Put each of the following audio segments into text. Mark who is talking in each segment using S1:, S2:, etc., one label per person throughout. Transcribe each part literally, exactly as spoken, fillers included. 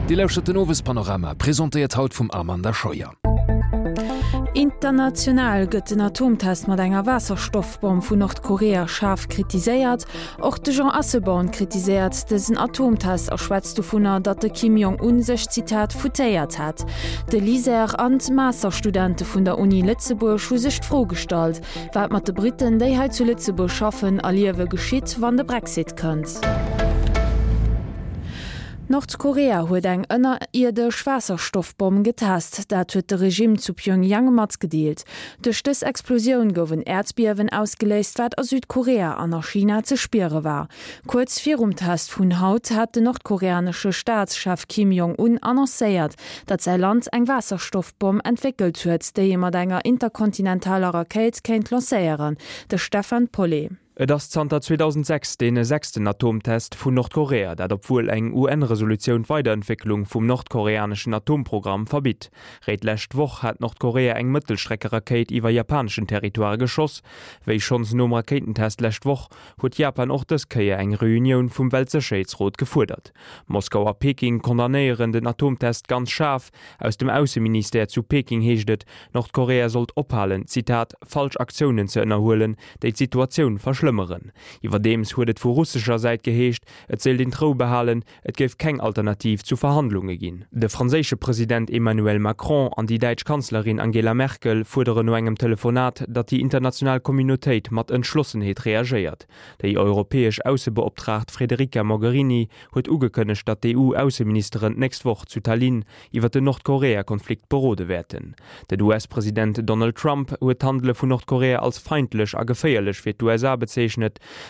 S1: Dir lauschtert den Owespanorama, presentéiert haut vum Amanda Scheuer.
S2: International gëtt den Atomtest mat enger Waasserstoffbomm vun Nordkorea schaarf kritiséiert. Och de Jean Asselborn kritiséiert dësen Atomtest a schwätzt dovunner, datt de Kim Jong-un sech, Zitat, foutéiert hätt. De LISER an d'Masterstudente vun der Uni Lëtzebuerg hu sech d'Fro gestallt, wat mat de Britten, déi hei zu Lëtzebuerg schaffen a liewe geschitt, wann de Brexit kënnt. Nordkorea huet eng ënnerierdesch Waasserstoffbomm getest. Dat huet de Regimm zu Pjöngjang matgedeelt. Duerch dës Explosioun gouf en Äerdbiewen ausgeléist, wat a Südkorea an a China ze spiere war. Kuerz virum Test vun haut hat den nordkoreanesche Staatschef Kim Jong-un annoncéiert, datt säi Land eng Waasserstoffbomm entwéckelt huet, déi ee mat enger interkontinentaler Rakéit kéint lancéieren. De Stefan Paulet.
S3: Et ass zanter zweedausendsechs dee sechsten Atomtest vun Nordkorea, dat obwuel eng U N-Resolutioun d'Weiderentwécklung vum nordkoreaneschen Atomprogramm verbitt. Réit d'lescht Woch hat Nordkorea eng Mëttelstreckerakéit iwwer japaneschen Territoire geschoss. Wéi schonns nom Rakéitentest d'lescht Woch, huet Japan och dës Kéier eng Reunioun vum Weltsécherheetsrot gefuerdert. Moskau a Peking condamnéieren den Atomtest ganz schaarf. Aus dem Ausseministère zu Peking heescht et, Nordkorea sollt ophalen, Zitat, falsch Aktiounen ze ënnerhuelen, déi d'Situatioun verschlëmmeren. Iwwerdeems huet et vu russescher Säit geheescht, et séilt een d'Rou behalen, et géif keng Alternativ zu Verhandlunge ginn. De franséische President Emmanuel Macron an déi däitsch Kanzlerin Angela Merkel fuerderen no engem Telefonat, datt déi international Communautéit mat Entschlossenheet reagéiert. Déi europäesch Aussebeoptraagt Federica Mogherini huet ugekënnegt, datt d'E U-Ausseministeren d'nächst Woch zu Tallinn iwwer den Nordkorea-Konflikt berode wäerten. Den U S-President Donald Trump huet d'Handele vun Nordkorea als feindlech a geféierlech fir d'U S A bezeechnet.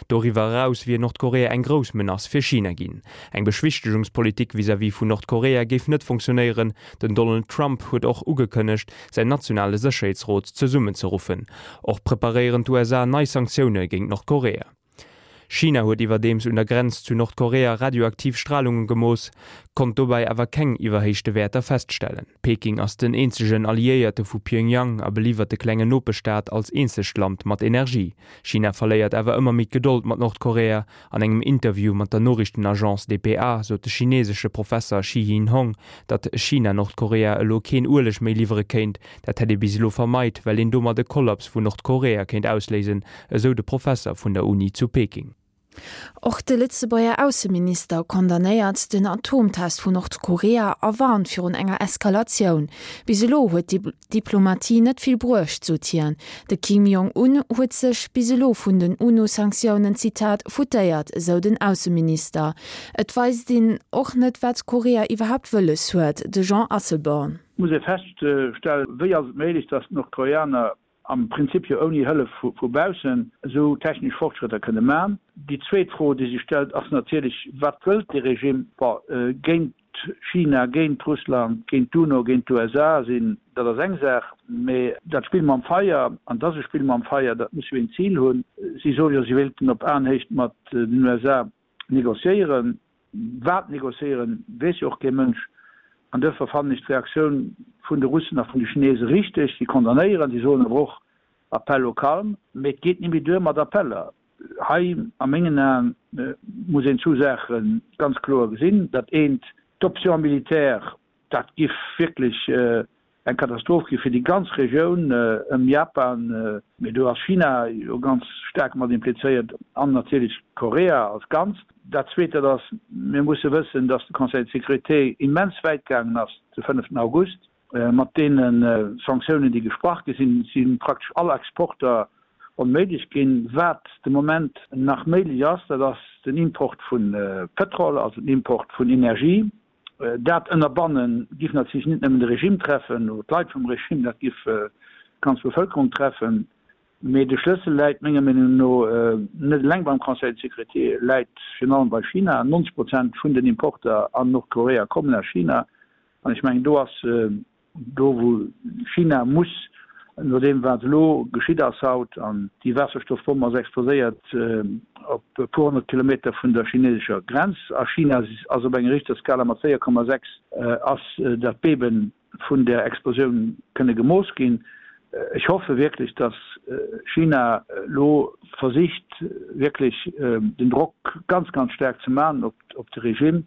S3: Doriwwer eraus wier Nordkorea eng grouss Menace fir China ginn. Eng Beschwichtegungspolitik vis-à-vis vun Nordkorea géif net funktionéieren. Den Donald Trump huet och ugekënnegt, säin nationale Sécherheetsrot zesummenzeruffen. Och preparéieren d'U S A nei Sanktioune géint Nordkorea. China huet iwwerdeems un der Grenz zu Nordkorea radioaktiv Stralunge gemooss, konnt dobäi awer keng iwwerhéichte Wäerter feststellen. Peking ass den eenzegen Alliéierte vu Pjöngjang a beliwwert de klengen Nopeschstaat als eenzegt Land mat Energie. China verléiert awer ëmmer méi d'Gedold mat Nordkorea. An engem Interview mat der Noriichtenagence D P A sot de chineesesche Professer Shi Yinhong, datt China Nordkorea elo keen Ueleg méi liwwere kéint. Dat hätt ee bis elo vermeit, well een domat de Kollaps vun Nordkorea kéint ausléisen, esou de Professer vun der Uni zu Peking.
S2: Och de Lëtzebuerger Ausseminister condamnéiert den Atomtest vun Nordkorea a warnt virun enger Eskalatioun. Bis elo huet d'Diplomatie net vill bruecht, sot hien. De Kim Jong-un huet sech bis elo vun den U N O-Sanktiounen, Zitat, foutéiert, esou den Ausseminister. Et weist een och net, wat Korea iwwerhaapt wëlles huet, de Jean Asselborn.
S4: Muss ee feststellen, wéi ass et méiglech, datt d'Nordkoreaner am Prinzip jo ouni Hëllef vu baussen esou technesch Fortschrëtter kënne man? Déi zweet Fro, déi sech stellt, ass natierlech, wat wëllt de Regime? Bon, géint China, géint Russland, géint d'UNO, géint d'U S A sinn, dat ass eng Saach, mee dat Spill mam Feier, an dat ass e Spill mam Feier, dat muss jo een Zil hunn. Si soe jo, si wéilten op Aenhéicht mat den U S A negociéieren. Wat negociéieren, weess jo och kee Mënsch. An duerfir fannen ech d'Reaktioun vun de Russen a vun de Chinese richteg. Si condamnéieren, si soen awer och Appel au calme. Mee et geet net méi duer mat Appeller. Hei a mengen Aen muss een zwou Saache ganz kloer gesinn. Dat eent, d'Option militaire, dat giff wierklech eng Katastroph gi fir déi ganz Regioun ëm Japan, mee do ass China jo ganz staark mat implizéiert an natierlech Korea als Ganzt. Dat Zweet, dat ass, mir musse wëssen, datt de Conseil de sécurité immens wäit gaangen ass de fënneften August mat deene Sanktiounen, déi gesprach gi sinn, si praktesch all Exporter onméiglech ginn. Wat de Moment nach méiglech ass, dat ass den Import vu Pëtrol, also den Import vun Energie. Dat ënnerbannen giff natierlech net nëmmen de Regime treffen oder d'Leit vum Regime, dat giff d'ganz Bevëlkerung treffen. Mee de Schlëssel läit menger Meenung no net eleng beim Conseil de sécurité, läit virun allem bei China. neunzeg Prozent vun den Importer an Nordkorea kommen aus China. An ech mengen, do ass do wou China muss, nodeem wat elo geschitt ass haut, an déi Waasserstoffbomm ass explodéiert op e puer honnert Kilometer vun der chinesescher Grenz a China ass op enger Richterskala mat véier Komma sechs ass dat Bebe vun der Explosioun kënne gemooss ginn. Ech hoffe wierklech, datt China elo versicht wierklech den Drock ganz, ganz staark ze maachen op de Regime.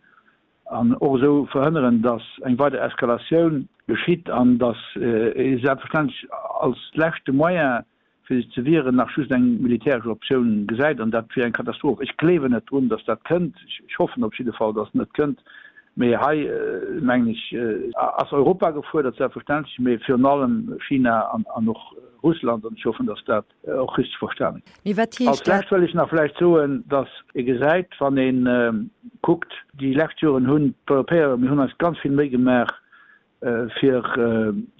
S4: an och esou verhënneren, datt eng weider Eskalatioun geschitt an datt ee selbstverständlech als leschte Moyen, fir sech ze wieren, nach just eng militäresch Optioun gesäit, an dat wier eng Katastroph. Ech gleewen net drun, datt dat kënnt. Ech hoffen op jidde Fall, datt et net kënnt. Mee hei, mengen ech, ass Europa gefuerdert, selbstverständlech, mee virun allem China an och Russland. An ech hoffen, datt dat och richteg verstane gëtt.
S5: Mee wat heescht
S4: Als
S5: dat?
S4: Lescht wëll ech nach vläicht soen, datt ee gesäit, wann ee kuckt, déi lescht Joren hunn d'Europäer, mir hunn eis ganz vill Méi gemaach, fir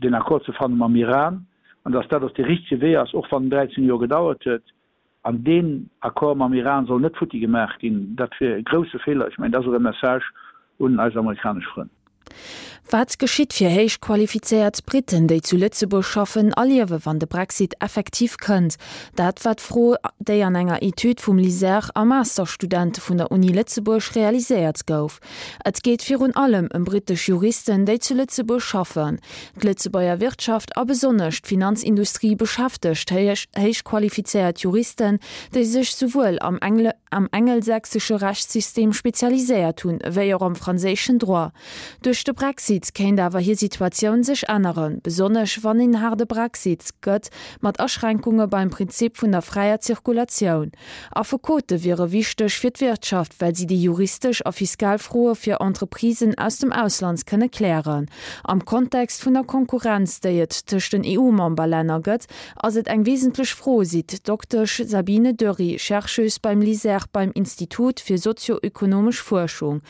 S4: deen Accord ze fanne mam Iran, an datt dat och dee richtege Wee ass, och wann en dräizéng Joer gedauert huet. An deen Accord mam Iran soll net futti gemaach ginn. Dat wier e grousse Feeler. Ech mengen, dat ass och e Message un eis amerikanesch Frënn.
S2: Wat geschitt fir héich qualifizéiert Britten, déi zu Lëtzebuerg schaffen a liewen, wann de Brexit effektiv kënnt? Dat war d'Fro, déi an enger Etüd vum LISER a Masterstudente vun der Uni Lëtzebuerg realiséiert gouf. Et geet virun allem ëm brittesch Juristen, déi zu Lëtzebuerg schaffen. D'Lëtzebuerger Wirtschaft a besonnesch d'Finanzindustrie beschäftegt héich qualifizéiert Juristen, déi sech souwuel am am engelsächsesche Rechtssystem spezialiséiert hunn, wéi och am franséischen Droit. Duerch de Brexit kéint awer hir Situatioun sech änneren, besonnesch wann een haarde Brexit gëtt, mat Aschränkunge beim Prinzip vun der fräier Zirkulatioun. Affekote wiere wichteg fir d'Wirtschaft, well si déi juristesch a fiskal Froe fir Entreprisen aus dem Ausland kënne klären. Am Kontext vun der Konkurrenz, déi et tëscht den E U-Memberlänner gëtt, ass et eng wesentlech Fro, seet d'Doktesch Sabine Dörry, Chercheuse beim LISER beim Institut fir sozioökonomesch Fuerschung.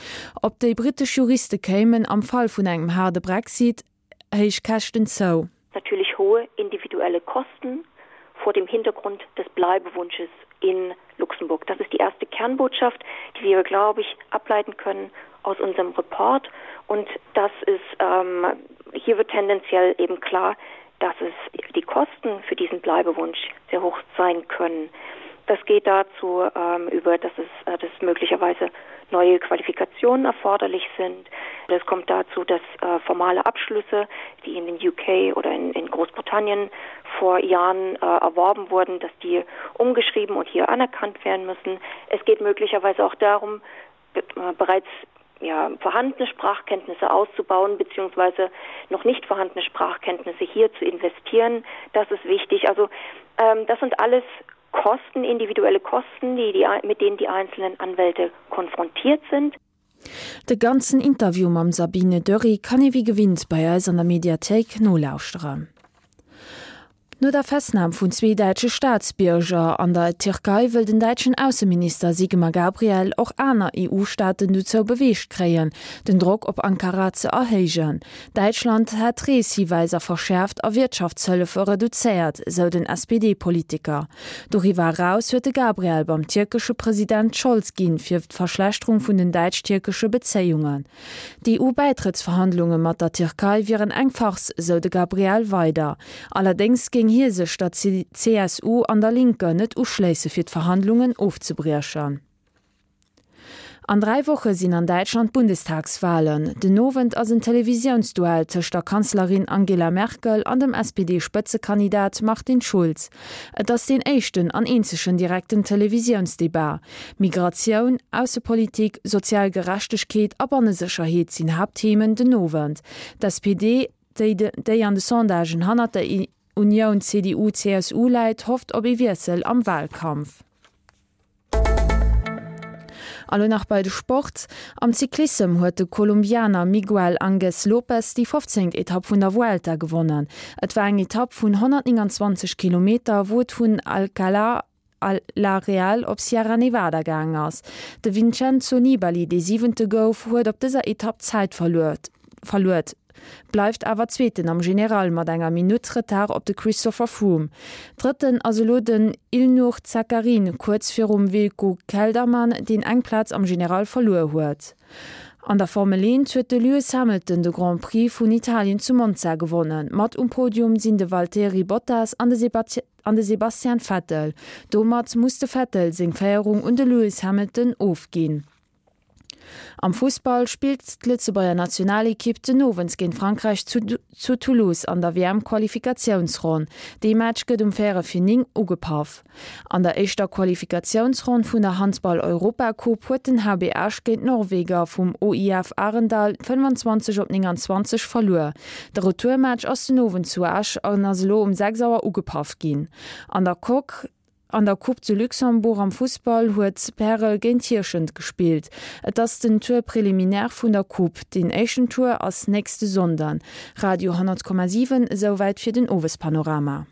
S2: Op déi brittesch Juriste kéimen am Fall vun engem haarde Brexit héich Käschten zou.
S6: Natürlich hohe individuelle Kosten vor dem Hintergrund des Bleibewunsches in Luxemburg. Das ist die erste Kernbotschaft, die wir, glaube ich, ableiten können aus unserem Report. Und das ist ähm, hier wird tendenziell eben klar, dass es die Kosten für diesen Bleibewunsch sehr hoch sein können. Das geht dazu ähm, über, dass es äh, dass möglicherweise neue Qualifikationen erforderlich sind. Das kommt dazu, dass äh, formale Abschlüsse, die in den U K oder in, in Großbritannien vor Jahren äh, erworben wurden, dass die umgeschrieben und hier anerkannt werden müssen. Es geht möglicherweise auch darum, äh, bereits ja, vorhandene Sprachkenntnisse auszubauen beziehungsweise noch nicht vorhandene Sprachkenntnisse hier zu investieren. Das ist wichtig. Also ähm, das sind alles Kosten, individuelle Kosten, die, die, mit denen die einzelnen Anwälte konfrontiert sind.
S2: De ganzen Interview mam Sabine Dörry kann ee wéi gewinnt bei eis an der Mediathéik nolauschteren. No der Festnam vun zwee däitsche Staatsbierger an der Tierkei wëll den däitschen Ausseminister Sigmar Gabriel och aner E U-Staaten dozou beweegt kréien, den Drock op Ankara ze erhéijen. Däitschland hätt Reeshiweiser verschäerft a Wirtschaftshëllefe reduzéiert, sou den S P D-Politiker. Doriwwer eraus huet de Gabriel beim tierkesche President d'Schold ginn fir d'Verschlechterung vun den däitsch-tierkesche Bezéiungen. D'E U-Bäitrëttsverhandlunge mat der Tierkei wieren eng Farce, sou de Gabriel weider. Allerdéngs géing hie sech der C S U an der Linke net uschléisse fir d'Verhandlungen ofzebriechen. An dräi Woche sinn an Däitschland Bundestagswalen. Den Owend ass en Televisiounsduell tëscht der Kanzlerin Angela Merkel an dem S P D-Spëtzekandidat Martin Schulz. Et ass deen éischten an eenzegen direkten Televisiounsdebat. Migratioun, Aussepolitik, sozial Gerechtegkeet a Bannesécherheet sinn Haaptthemen den Owend. D'S P D, déi, déi an de Sondagen hannert der Unioun C D U C S U läit, hofft op e Wiessel am Walkampf. An elo nach bei de Sport. Am Cyclissem huet de Kolumbianer Miguel Ángel López déi fofzéngt Etapp vun der Vuelta gewonnen. Et war eng Etapp vun honnertnénganzwanzeg Kilometer, wou et vun Alcalá la Real op Sierra Nevada gaangen ass. De Vincenzo Nibali, dee Siwente gouf, huet op dëser Etapp Zäit verluer, verluer, bleift awer Zweeten am General mat enger Minutt Retard op de Christopher Froome. Drëtten ass elo den Ilnur Zakarin kuerz virum Wilco Kelderman, deen eng Plaz am General verluer huet. An der Formel eent huet de Lewis Hamilton de Grand Prix vun Italien zu Monza gewonnen. Mat um Podium sinn de Valtteri Bottas an de, an de Sebastian Vettel. Domat muss de Vettel seng Féierung un de Lewis Hamilton ofginn. Am Fussball spillt d'Lëtzebuerger Nationalekipp den Owend géint Frankräich zu, zu Toulouse an der WM-Qualifikatiounsronn. De Match gëtt um véierel vir néng ugepaff. An der éischter Qualifikatiounsronn vun der Handball-Europacoupe huet den H B Esch géint d'Norweger vum O I F Arendal fënnwanzwanzeg op nénganzwanzeg verluer. De Retourmatch ass den Owend zu Esch an ass elo um sechs Auer ugepaff ginn. An der Coque An der Coupe de Luxembourg am Fussball huet Pärel géint Hierschent gespillt. Et ass den Tour préliminaire vun der Coupe. Den éischten Tour ass nächste Sonnden. Radio honnert Komma siwen, esouwäit fir den Owespanorama.